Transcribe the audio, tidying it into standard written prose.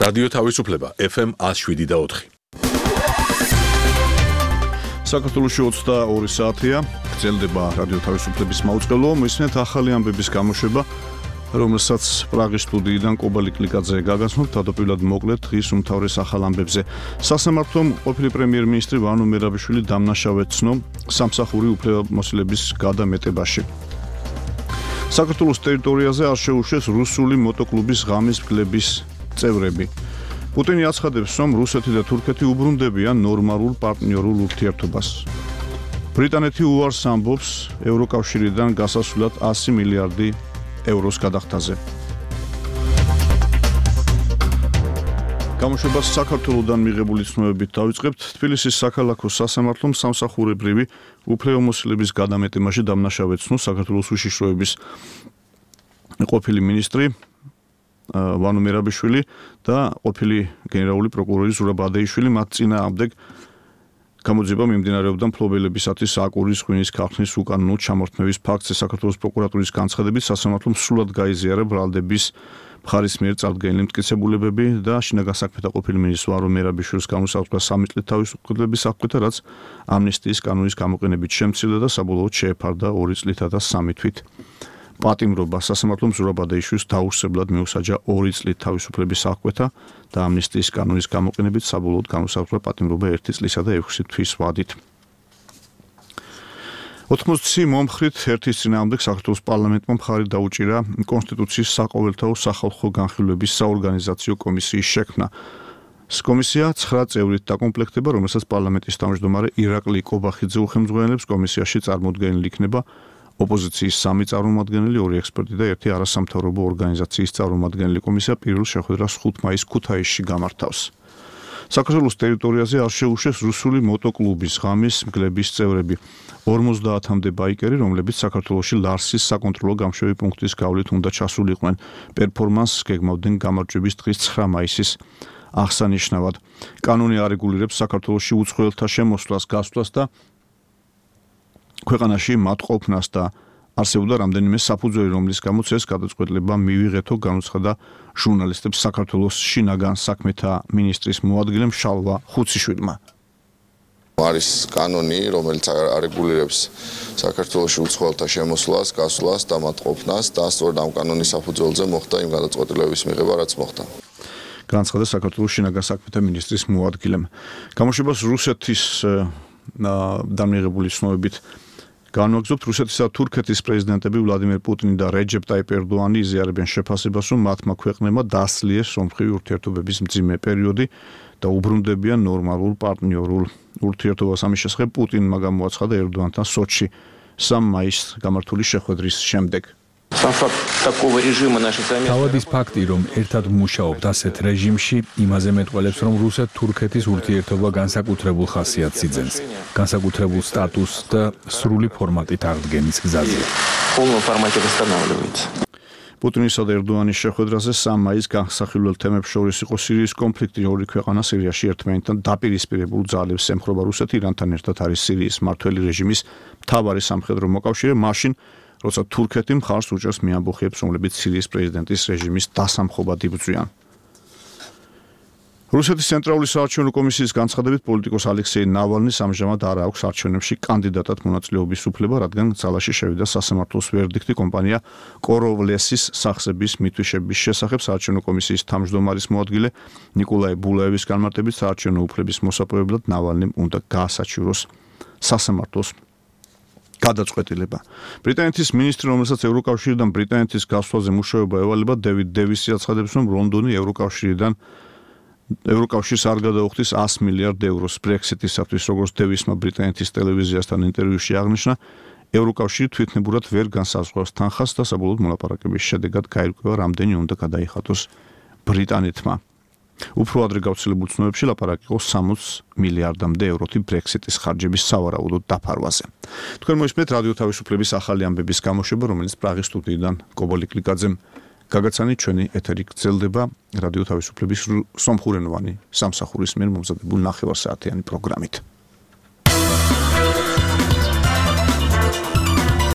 რადიო თავისუფლება FM 107.4. საქართველოში 22 საათია, გრძელდება რადიო თავისუფლების მაუწყებლო, მისმენთ ახალი ამბების გამოშვება, რომელსაც პრაღის სტუდიიდან კობალი კლიკაძე გაგაცნობთ, თავდაპირველად მოკლედ დღის უმთავრეს ახალ ამბებზე. სასამართლომ ყოფილი პრემიერ-მინისტრი ვანო მერაბიშვილი დამნაშავედ ცნო სამსახური უფლებამოსილების გადამეტებაში. საქართველოს ტერიტორიაზე არ შეუშვეს რუსული მოტოკლუბის ღამის მგლების წევრები. პუტინი აცხადებს, რომ რუსეთი და თურქეთი უბრუნდებიან ნორმალურ პარტნიორულ ურთიერთობას. ბრიტანეთი უარს ამბობს ევროკავშირიდან გასასვლელად 100 მილიარდი ევროს გადახდაზე. გამოშვებას საქართველოსდან მიღებული ცნობებით დავიწყებთ. თბილისის საქალაქო სასამართლომ სამსახურებრივი უფლებამოსილების გადამეტებაში დამნაშავედ ცნო საქართველოს უშიშროების ყოფილი მინისტრი ვანო მერაბიშვილი და ყოფილი გენერალური პროკურორი ზურაბ ადეიშვილი. მათ წინააღმდეგ გამოძიება მიმდინარეობდა მფლობელებისათვის აკვრის ღვინის ქარხნის უკანონო ჩამორთმევის ფაქტზე. საქართველოს პროკურატურის განცხადებით სასამართლომ სრულად გაიზიარა ბრალდების მხარის მიერ წარდგენილი მტკიცებულებები და შინაგან საქმეთა ყოფილი მინისტრის ვანო მერაბიშვილის განუსაზღვრა 3 წლით თავისუფლების აღკვეთა, რაც ამნისტიის კანონის გამოყენებით შემცირდა და საბოლოოდ შეეფარდა 2 წლითა და 3 თვით. პატიმრობა სასამართლომ ზურაბ ადეიშვილს დაუსწრებლად მიუსაჯა 2 წლით თავისუფლების აღკვეთა და ამნისტიის კანონის გამოყენებით საბოლოოდ განუსაზღვრა პატიმრობა 1 წლისა და 6 თვის ვადით. 80 მომხრით ერთის წინააღმდეგ საქართველოს პარლამენტმა მხარი დაუჭირა კონსტიტუციის საყოველთაო სახალხო განხილვების საორგანიზაციო კომისიის შექმნა. კომისია 9 წევრით დაკომპლექტდება, რომელსაც პარლამენტის თავმჯდომარე ირაკლი კობახიძე უხელმძღვანელებს. კომისიაში წარმოდგენილი იქნება ოპოზიციის 3 წარმომადგენელი, 2 ექსპერტი და 1 არასამთავრობო ორგანიზაციის წარმომადგენელი. კომისია პირველ შეხვედრას 5 მაისს ქუთაისში გამართავს. საქართველოს ტერიტორიაზე არ შეუშვეს რუსული მოტოკლუბის ღამის მგლების წევრები. 50-მდე ბაიკერი, რომლებიც საქართველოში ლარსის საკონტროლო გამშვები პუნქტის გავლით უნდა ჩასულიყვნენ, პერფორმანსს გეგმავდნენ გამარჯვების დღის 9 მაისის აღსანიშნავად. კანონი არეგულირებს საქართველოში უცხოელთა შემოსვლას, გასვლას და ქვეყანაში მათ ყოფნას და არსებობდა რამდენიმე საფუძველი, რომლის გამოც ეს გადაწყვეტილება მივიღეთო, განუცხადა ჟურნალისტებს საქართველოს შინაგან საქმეთა მინისტრის მოადგილემ შალვა ხუციშვილმა. არის კანონი, რომელიც არეგულირებს საქართველოში უცხოელთა შემოსვლას, გასვლას და მათ ყოფნას და სწორედ ამ კანონის საფუძველზე მოხდა იმ გადაწყვეტილების მიღება, რაც მოხდა. განაცხადა საქართველოს შინაგან საქმეთა მინისტრის მოადგილემ. გამოშვებას რუსეთის დამიღებული ცნობებით განვაგრძობთ. რუსეთისა და თურქეთის პრეზიდენტები ვლადიმერ პუტინი და რეჯეპ ტაიპ ერდოანი იზიარებენ შეფასებას, რომ მათმა ქვეყნებმა დასლიეს ომხრივი ურთიერთობების მძიმე პერიოდი და უბრუნდებიან ნორმალურ პარტნიორულ ურთიერთობას. ამის შესახებ პუტინმა გამოაცხადა ერდოანთან სოჩში 3 მაისს გამართული შეხვედრის შემდეგ. თავად ის ფაქტი, რომ ერთად მუშაობთ ასეთ რეჟიმში, იმაზე მეტყველებს, რომ რუსეთ-თურქეთის ურთიერთობა განსაკუთრებულ ხასიათს იძენს, განსაკუთრებულ სტატუსს და სრული ფორმატით აღდგენის გზაზე. პუტინისა და ერდოანის შეხვედრაზე 3 მაისს განსახილველ თემებს შორის იყო სირიის კონფლიქტი. ორი ქვეყანა სირიაში ერთმანეთთან დაპირისპირებულ ძალებს ემხრობა. რუსეთი ირანთან ერთად არის სირიის მმართველი რეჟიმის მთავარი სამხედრო მოკავშირე, მაშინ როცა თურქეთი მხარს უჭერს მეამბოხეებს, რომლებიც სირიის პრეზიდენტის რეჟიმის დასამხობად იბრძვიან. რუსეთის ცენტრალური საარჩევნო კომისიის განცხადებით პოლიტიკოს ალექსეი ნავალნის ამჟამად არ აქვს არჩევნებში კანდიდატად მონაწილეობის უფლება, რადგან ძალაში შევიდა სასამართლოს ვერდიქტი კომპანია კოროვლესის სახსების მითვიშების შესახებ. საარჩევნო კომისიის თავმჯდომარის მოადგილე ნიკოლაი ბულაევის განმარტებით საარჩევნო უფლების მოსაპოვებლად ნავალნიმ უნდა გაასაჩივროს სასამართლოს გადაწყვეტილება. ბრიტანეთის მინისტრი, რომელსაც ევროკავშირიდან ბრიტანეთის გასვლაზე მუშაობა ევალება, დევიდ დევისი აცხადებს, რომ ლონდონი ევროკავშირს არ გადაუხდის 100 მილიარდ ევროს ბრექსიტისათვის. როგორც დევისმა ბრიტანეთის ტელევიზიასთან ინტერვიუში აღნიშნა, ევროკავშირი თვითნებურად ვერ განსაზღვრავს თანხას და საბოლოოდ მოლაპარაკების შედეგად გაირკვევა, რამდენი უნდა გადაიხადოს ბრიტანეთმა. უფრო ადრე გავრცელებულ ცნობებში ლაპარაკი იყო 60 მილიარდამდე ევროთი ბრექსიტის ხარჯების სავარაუდო დაფარვაზე. თქვენ მოისმენთ რადიო თავისუფლების ახალი ამბების გამოშვება, რომელიც პრაღის სტუდიიდან კობალი კლიკაძემ გაგაცანით. ჩვენი ეთერი გრძელდება რადიო თავისუფლების სომხურენოვანი სამსახურის მიერ მომზადებულ 9 საათიანი პროგრამით.